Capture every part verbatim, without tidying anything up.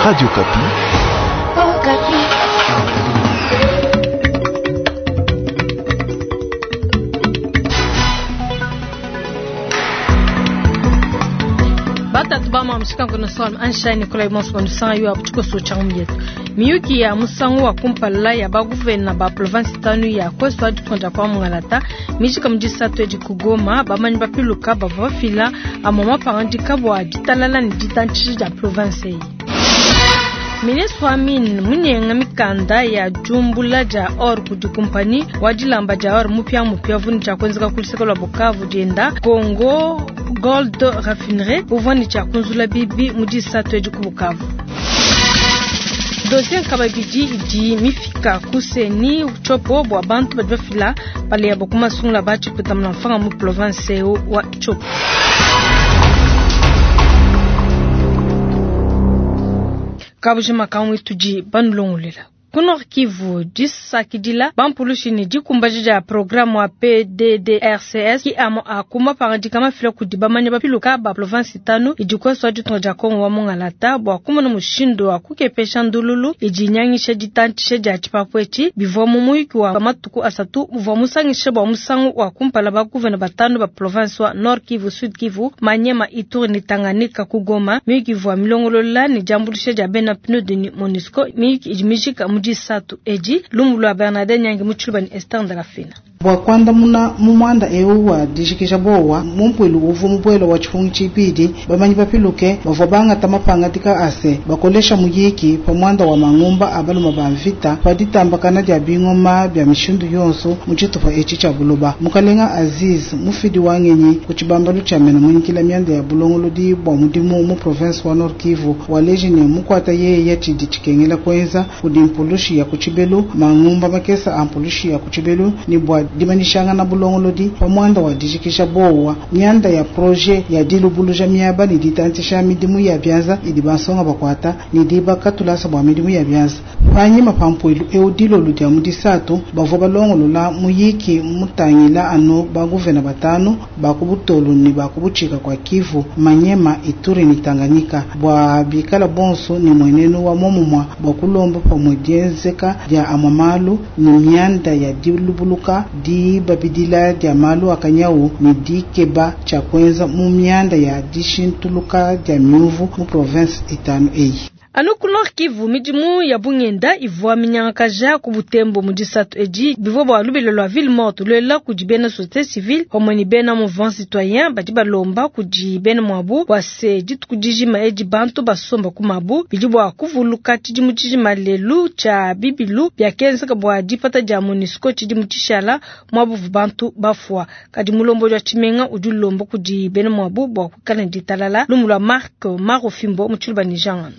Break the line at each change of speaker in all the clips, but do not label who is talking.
Radio Okapi.
Oh, Okapi.
Batatu ba mshikango na sol ansha Nikolai Monso nsanga yo abuchiko cha myetu miyuki ya musangu wa kumpala ya baguvena ba province tanu ya kweso adikonja kwa mungalata mijika mujisatu edi kugoma bamanyi bapiluka bava bafila amoma pangandika bua ditalala ne ditantshisha dia province eyi. Ministre wa mine munyenga mikanda ya jumbula ja or kudi kumpani wa dilamba ja or mupya mupya vuni cha kwenzeka kuliseka lwa Bukavu dienda Congo Gold Raffinerie uvwani cha kunzula bibi mujisatu edi ku Bukavu. Dossier nkababidi idi mifika kuseni Tshopo bua bantu badi bafila pale ya bokuma sungula bachi kutamna mfanga mu province wa Tshopo. Kabujima kamwe tudi banulongolela. Ku Nord Kivu disakidila bampulushi ne dikumbaja dia programme wa P D D R C S ki amo akuma pangandika mafila kudi bamanya bapiluka ba province tanu idi kweso ditunga dia Kongo wa mungalata bua kumona mushindu wa kukepesha ndululu idi nyangisha ditantshisha dia tshipapu etshi bivua mu muyuki wa matuku asatu uvua musangisha bua musangu wa kumpala ba guvena batanu ba province wa Nord Kivu, Sud Kivu, Manyema, Ituri ne Tanganyika ku Goma. Miyuki ivua milongolola ne diambuluisha dia bena P N U D ne MONUSCO. Miyuki idi mijika mu disatu edi lumbu lwa Bernadette Nyangi mu Tshiluba ne Esther Ndalafina.
Bua kuandamuna mu muanda eu wa dijikija bowa mumpuilu uvua mubuela wa tshipungu tshibidi bamanyi bapiluke bavua bangata mapangadika ase bakolesha muyiki pa muanda wa mangumba a baluma ba mvita pa ditambakana dia bingoma bia mishindu yonso mu tshitupa etshi tshia buloba. Mukalenga Aziz mufidi wa ngenyi ku tshibambalu tshia mena munyikila mianda ya bulongolodi bua mudimu mu province wa Nord Kivu waleji ne mukwata yeye tshidi tshikengela kuenza kudi mpulushi ya ku tshibelu mangumba makesa a mpulushi ya ku tshibelu ni bua dimanishangana bulongolodi pa muanda wa dijikisha bowa mianda ya projet ya dilubuluja miaba ne ditantshisha midimu ya bianza idi bansonga bakwata ne dibakatulasa bua midimu ya bianza. Panyima pa mpuilu eu dilolu dia mu disatu bavua balongolola muyiki mutangila anu baguvena batanu ba ku Butolu ne ba ku Butshika kua Kivu, Manyema, Ituri ne Tanganyika bua bikala bonso ne muenenu wa momumua bua kulomba pamue dienzeka dia amua malu ne mianda ya dilubuluka dibabidila dia malu akanyau ne dikeba tshia kuenza mu mianda ya dishintuluka dia miuvu mu province itanu eyi.
Anu ku Nord Kivu midimu ya bungenda ivua minyangakaja ku Butembo mu disatu edi bivua bua lubila lua ville morte luela kudi bena société civile pamue ne bena mouvement citoyen badi balomba kudi bena muabu bua se dituku dijima edi bantu basomba ku mabu bidi bua kuvuluka tshidimu tshijima lelu tshia bibilu biakenzeka bua dipata dia MONUSCO tshidimu tshishala muabu bantu bafua. Kadi mulombodi wa tshimenga udi ulomba kudi bena muabu bua kuikala ne ditalala. Lumu lua Marc Marofimbo mu Tshiluba ne Jean.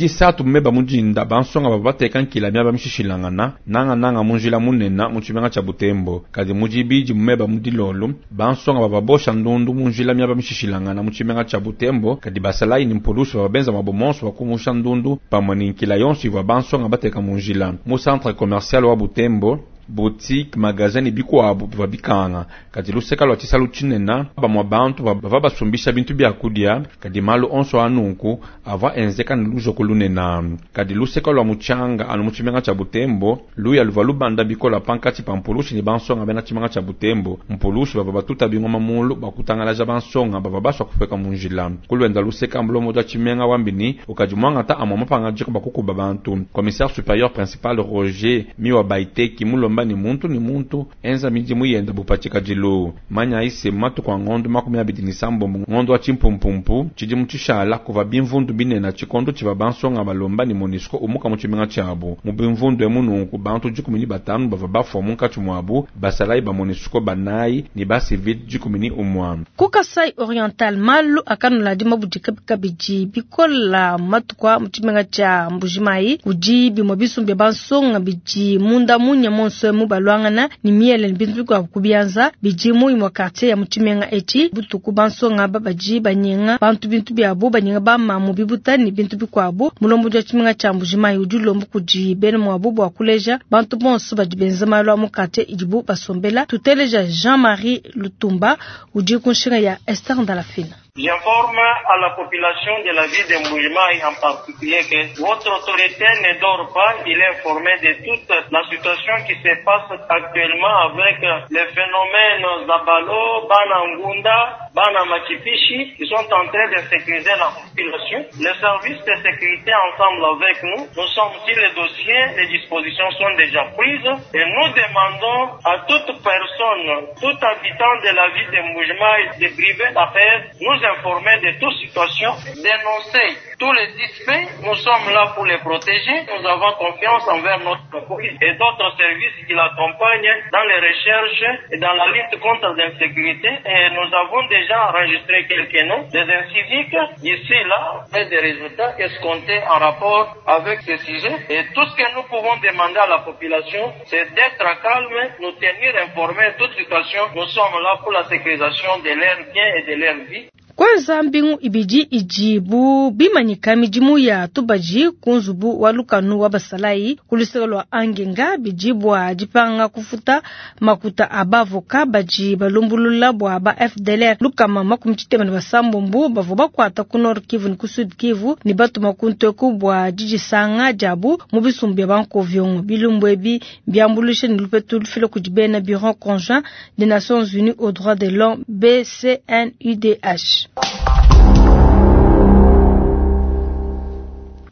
Disatu mmeba mujinda bansonga bava bateka nkila miaba mishishilangana nanga nanga munjila munena mu tshimenga tshia Butembo. Kadi mujibidi mmeba mudilolo bansonga bava bosha ndundu munjila miaba mishishilangana mu tshimenga tshia Butembo. Kadi basalayi ni mpulusu bava benza mabomonso bakumusha ndundu pamue ni nkila yonso ivua bansonga bateka munjila mu centre commercial wa Butembo. Boutique, magasin ni bikuabu bivua bikanga. Kadi luseka lua tshisalu tshinena bamua bantu bava basumbisha bintu bia kudia. Kadi malu onso anunku avua enzeka ne lujoko lunena. Kadi luseka lua mutshanga anu mu tshimenga tshia Butembo luya luvua lubanda bikola pankatshi pa mpulushi ne bansonga bena tshimenga tshia Butembo. Mpulushi bava batuta bingoma mulu bakutangalaja bansonga bava basua kufeka mu njila. Kuluenda luseka mbulomo wa tshimenga wambini ukadi muangata amua mapangadika bakukuba bantu. Commissaire supérieur principal Roger Miwa Baiteki mulomba ni muntu ni muntu enza midimu yenda bupatika dilu manya ise matuku a ngondo makumi abidi ni sambombo ngondo wa tshimpumpumpu tshidimu tshishala kuva bimvundu binena tshikondo tshiva bansonga balomba ni MONUSCO umuka mu tshimenga tshiabu mu bimvundu emu nunku bantu dikumi ni batanu bava bafua munkatshi muabu basalayi ba MONUSCO banayi ni ba civil dikumi ni umua.
Ku Kasai Oriental malu akanula dimabudika kabidi bikola matuku mu tshimenga tshia Mbujimayi kudi bimue bisumbi bansonga bidi munda munya monso mu balwangana ni miele ni bintu bikuabu kubianza bidi mu imue quartier ya mu tshimenga etshi butuku bansonga babaji banyenga bantu bintu biabu banyenga bamamu bibuta ni bintu bikuabu. Mulombodi wa tshimenga tshia Mbujimayi udi ulomba kudi bena muabu bua kuleja bantu bonso badi benza malu a mu quartier idibu basombela. Tuteleja Jean-Marie Lutumba udi ku nshinga ya Esther Ndalafina.
J'informe à la population de la ville de Mbuji-Mayi en particulier que votre autorité ne dort pas. Il est informé de toute la situation qui se passe actuellement avec le phénomène Zabalo, Banangunda, Bana Machipichi, qui sont en train de sécuriser la population. Les services de sécurité ensemble avec nous, nous sommes sur le dossier, les dispositions sont déjà prises et nous demandons à toute personne, tout habitant de la ville de Mbuji-Mayi de priver la paix, nous informer de toute situation, dénoncer tous les suspects. Nous sommes là pour les protéger. Nous avons confiance envers notre police et d'autres services qui l'accompagnent dans les recherches et dans la lutte contre l'insécurité. Et nous avons déjà enregistré quelques noms des inciviques ici, là, et des résultats escomptés en rapport avec ce sujet. Et tout ce que nous pouvons demander à la population, c'est d'être calme, nous tenir informés de toute situation. Nous sommes là pour la sécurisation de leurs biens et de leur vie.
Kwanza mbingu ibidi ijibu bimanyika midimu ya tubaji kunzubu wa lukanu wa basalayi kuluseka lwa angenga bijibwa dipanga kufuta makuta abavoka baji balumbulula bwa ba F D L R lukama makumi tshitema ne basambombu bavua bakuata ku Nord Kivu ne ku Sud Kivu ne batuma ku nteku bua didisanga diabu mu bisumbu bia bankovyongo. Bilumbu ebi biambulushe ne lupetu lufila kudi bena Bureau conjoint des Nations Unies aux droits de l'homme B C N U D H.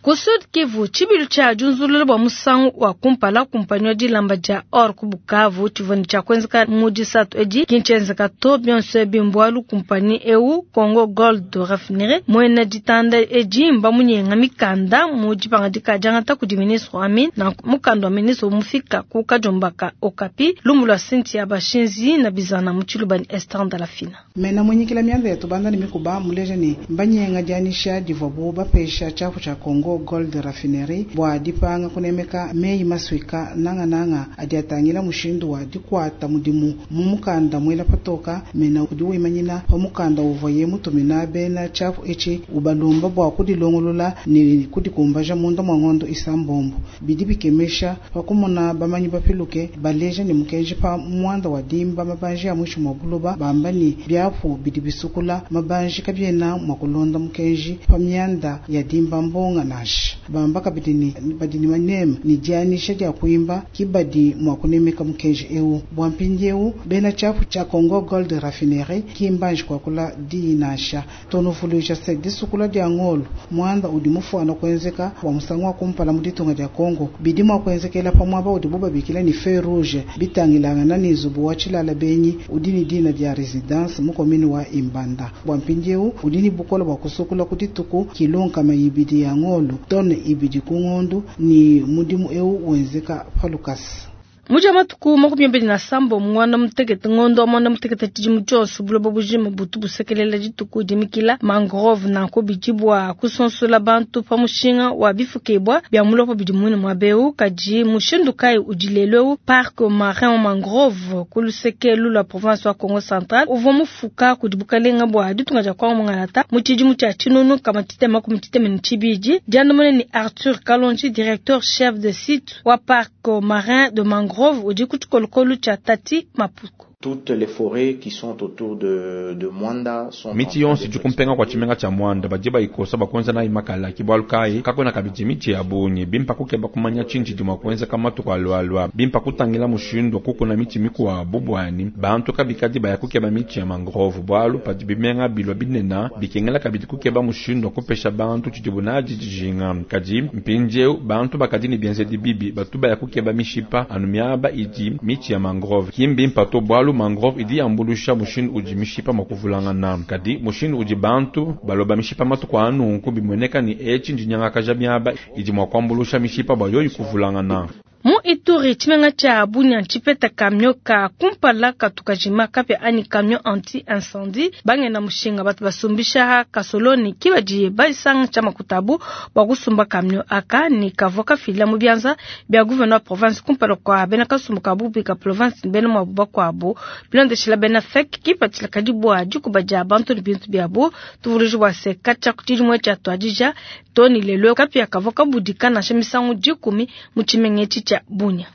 Ku Sud Kivu, tshibilu tshia diunzulula bua musangu wa kumpala kumpanyi wa dilamba dia or ku Bukavu tshivua ne tshia kuenzeka mu disatu edi kintshienzeka to bionso ebi mbualu kumpanyi eu Congo Gold Refinery muena ditanda edi mbamunyenga mikanda mu dipangadika diangata kudi ministre wa mine na mukanda wa ministre mufika ku Kajombaka Okapi lumu lua Cynthia Bashinzi na bizana mu tshiluba ni Esther Ndalafina.
Mena mwenyikila mianda ya tubanda ni mikuba muleja ni mbanyenga dianisha divua bu bapesha tshiapu tshia Congo Gold Refinery bua dipanga kunemeka meyi maswika nanga nanga adi atangila mushindu wa dikwata mudimu mu mukanda mwela patoka mena udi wimanyina pa mukanda uvuaye mutumina bena tshiapu etshi ubalomba bua kudilongolola ne kudikumbaja munda mua ngondo isambombo. Bidi bikemesha pa kumona bamanyi bapiluke baleja ne mukenji pa muanda wa dimba mabanji ya mwishi mua buloba bamba ni biapu bidi bisukula mabanji kabiena mua kulonda mukenji pa mianda ya dimba mbonga na bamba kabidi ni badi ni manema ni dianisha dia kuimba kibadi mwa kunemeka mukenji eu bua mpindieu bena tshiapu tshia Congo Gold Refinery kimbanji kwa kula dinasha tonuvuluisha se disukula dia ngolo muanda udi mufuana kuenzeka wa musangu wa kumpala mu ditunga dia Congo bidi mua kuenzekela pa muaba udi bubabikila ni feu rouge bitangilangana ni nzubu wa tshilala benyi udi ni dina dia residence mu komini wa Imbanda bua mpindieu udi ni bukola bua kusukula ku dituku kilonkama ibidi ya ngolo tone ibidi kungondu ni mudimu eu wenzeka palukasi.
Muja matuku makumi abiri na sambo mwana mutekete ngondo mwana mutekete tshidimu tshionso buloba bujima butu busekelela dituku dimikila mangrove nanko bidibwa kusonsola bantu pa mushinga wa bifukibwa bia mulopo bidi muine mua beu kadi mushindu kayi udi lelu eu parc marin mangrove ku luseke lua province wa Congo Central uvua mufuka kudi bukalenga bua ditunga dia Kongo Mungalata mu tshidimu tshia tshinunu kama tshitema makumi tshitema ne tshibidi. Diandamuna ni Arthur Kalonji, directeur chef de site wa parc marin de mangrove udi ku tshikolokolo tshia Tati Mapuku.
Toutes les forêts qui sont autour de, de Mwanda sont
miti yonse dikumpenga kwa tshimenga tshia Mwanda badi bayikosa bakuenza nayi makala kibwalu kayi kakwena kabidi miti ya bungi bimpa kukeba kumanya tshinji dimua kuenzeka matuku alualua bimpa kutangila mushindu kukuna miti mikuabu bwani bantu kabikadi baya kukeba miti ya mangrove bwalu padi bimenga bilwa binena bikengela kabidi kukeba mushindu kupesha bantu tshidibu nadi dijinga kadi mpindieu bantu bakadi ne bienzedi bibi batu baya kukeba mishipa anu miaba idi miti ya mangrove kimbimpa to bwalu mangrove idi yambulusha mushindu udi mishipa makuvulangana kadi mushindu udi bantu baloba mishipa matuku anunku bimueneka ni etshi ndinyangakaja miaba idi mua kuambulusha mishipa bua yoyi kuvulangana.
Mu Ituri tshimenga tshia Bunia tshipeta camion ka kumpala katukajima kapia anyi camion anti incendie bangena mushinga batu basumbisha kasoloni kibadi basanga tshia makutabu bua kusumba camion aka ni kavua kafila mu bianza bia gouverneur province kumpala kwa bena kasumbu ka bubi ka province bena mwabu bakuabu bilondeshela bena fek kipatshila kadi bua dikuba dia bantu ne bintu biabu tuvuluji bua se katshia ku tshidimue tshia tuadija toni lelo kapia kavua kabudika nansha misangu dikumi mu tshimenga etshi tshia Bunia.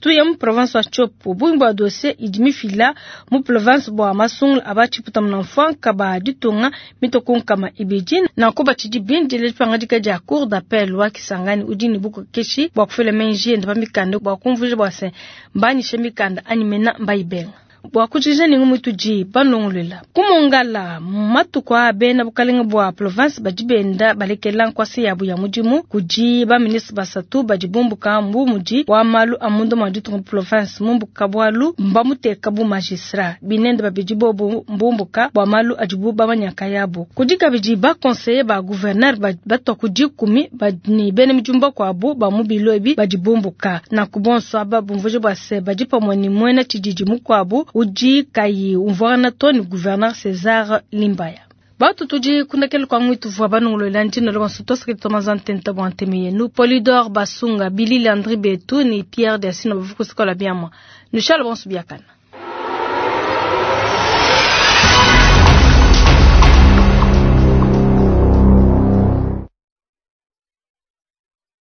Tuya mu province wa Tshopo bungi bua dossier idi mifila mu province bua masungula aba tshiputa muna ba ditunga mitue ku nkama ibidi nanku batshidi bindile dipangadika dia cour d'appel wa Kisangani udi ne bukokeshi bua kufila menji ende pa mikanda bua kumvuija bua se mbanyishe mikanda anyi mena mbayibenga. Bua kujikija ne ngumu tudi banongolola ku Mongala matuku a bena bukalenga bua province badi benda balekela nkwasa yabu ya mudimu kudi ba ministre basatu badi bumbuka mbu mudi wa malu a munda mua ditunga province mumbuka bualu mbamuteka bu magistrat binende babidi bobu mbumbuka bua malu adibu bamanyaka yabo kudi kabidi ba conseiller ba gouverneur batwa ku dikumi ne bena midimu bakuabu ba mu bilo ebi badi bumbuka nanku bonso aba bumvuje bua se badi pamue ne muena tshididi mukuabu udi kayi umvuangana to ne gouverneur César Limbaya. Batu tudi kundakela kwa ngwitu vwa banongolola ndina lo banso tosaki tomaza ntenta bwa nteme yenu Polydor Basunga Billy Landry Betu ni Pierre Desino bavukusikola biamwa. Nushala bonso biakana.